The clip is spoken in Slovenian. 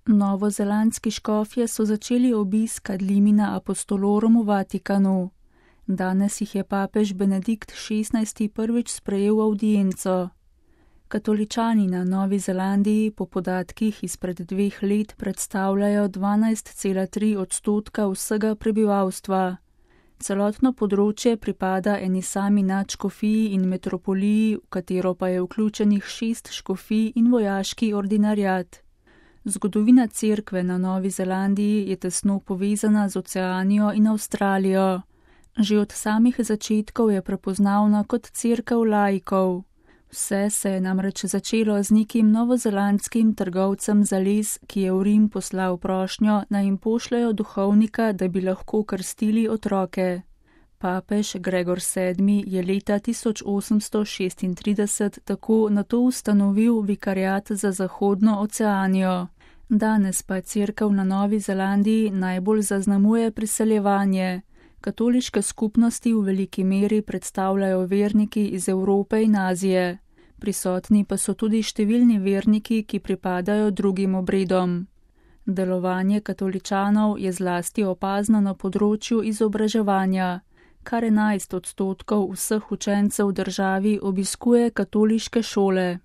Novozelandski škofje so začeli obisk ad limina apostolorum v Vatikanu. Danes jih je papež Benedikt XVI prvič sprejel v avdienco. Katoličani na Novi Zelandiji po podatkih izpred 2 let predstavljajo 12,3% vsega prebivalstva. Celotno področje pripada eni sami nadškofiji in metropoliji, v katero pa je vključenih 6 škofij in vojaški ordinariat. Zgodovina cerkve na Novi Zelandiji je tesno povezana z Oceanijo in Avstralijo. Že od samih začetkov je prepoznavna kot cerkev laikov. Vse se je namreč začelo z nekim novozelandskim trgovcem za les, ki je v Rim poslal prošnjo, naj jim pošljajo duhovnika, da bi lahko krstili otroke. Papež Gregor VII je leta 1836 tako nato ustanovil vikariat za Zahodno Oceanijo. Danes pa cerkev na Novi Zelandiji najbolj zaznamuje priseljevanje. Katoliške skupnosti v veliki meri predstavljajo verniki iz Evrope in Azije. Prisotni pa so tudi številni verniki, ki pripadajo drugim obredom. Delovanje katoličanov je zlasti opazno na področju izobraževanja. Kar 11% vseh učencev v državi obiskuje katoliške šole.